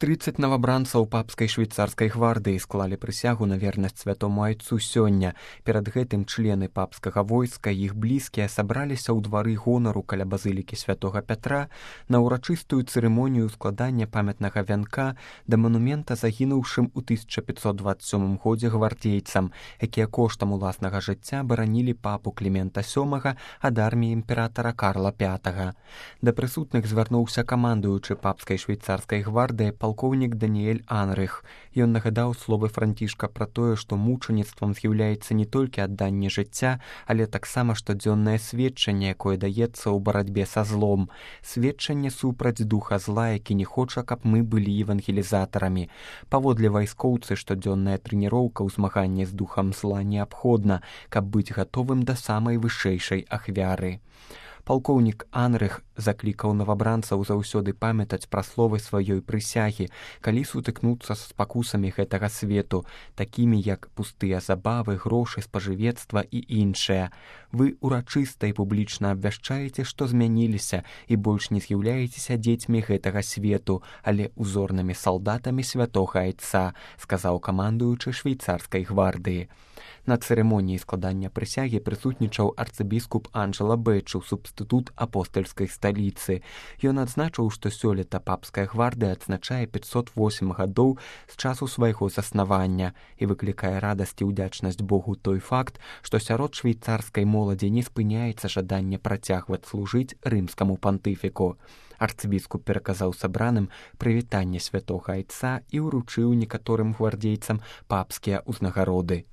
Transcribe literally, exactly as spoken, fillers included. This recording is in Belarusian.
тридцать навабранцаў папскай швейцарскай гвардыі склалі прысягу на вернасць святому айцу сёння. Перад гэтым члены папскага войска і іх блізкія сабраліся ў двары гонару каля базылікі святога Пятра на ўрачыстую цырымонію складання памятнага вянка да манумента загінуўшым у тысяча пятьсот двадцать сёмым годзе гвардейцам, якія коштам уласнага жыцця баранілі папу Клімента сёмага ад арміі імператара Карла пятага. Да прысутных звярнуўся камандуючы папскай швейцарскай гвардыі палкоўнік Даніэль Анрых. Ён нагадаў словы Францішка пра тое, што мучаніцтвам з'яўляецца не толькі адданне жыцця, але таксама штодзённае сведчанне, якое даецца ў барацьбе са злом. Сведчанне супраць духа зла, які не хоча, каб мы былі евангелізатарамі. Паводле вайскоўцы, штодзённая трэніроўка ў змаганні з духам зла неабходна, каб быць гатовым да самай вышэйшай ахвяры. Палкоўнік Анрых заклікаў навабранцаў заўсёды памятаць пра словы сваёй прысягі, калі сутыкнуцца з спакусамі гэтага свету, такімі як пустыя забавы, грошы, спажывецтва і іншае. Вы урачыста і публічна абвяшчаеце, што змяніліся і больш не з'яўляецеся дзецьмі гэтага свету, але узорнымі салдатамі святога айца, сказаў камандуючы швейцарскай гвардыі. На цырымоніі складання прысягі прысутнічаў арцыбіскуп Анджела Бэчу, субстытут апостальскай сталіцы. Ён адзначыў, што сёлета папская гвардыя адзначае пятьсот восемь гадоў з часу свайго заснавання і выклікае радасць і ўдзячнасць Богу той факт, што сярод швейцарскай моладзі не спыняецца жаданне працягваць служыць рымскаму пантыфіку. Арцыбіскуп пераказаў сабраным прывітанне святога айца і ўручыў некаторым гвардейцам папскія ўзнагароды.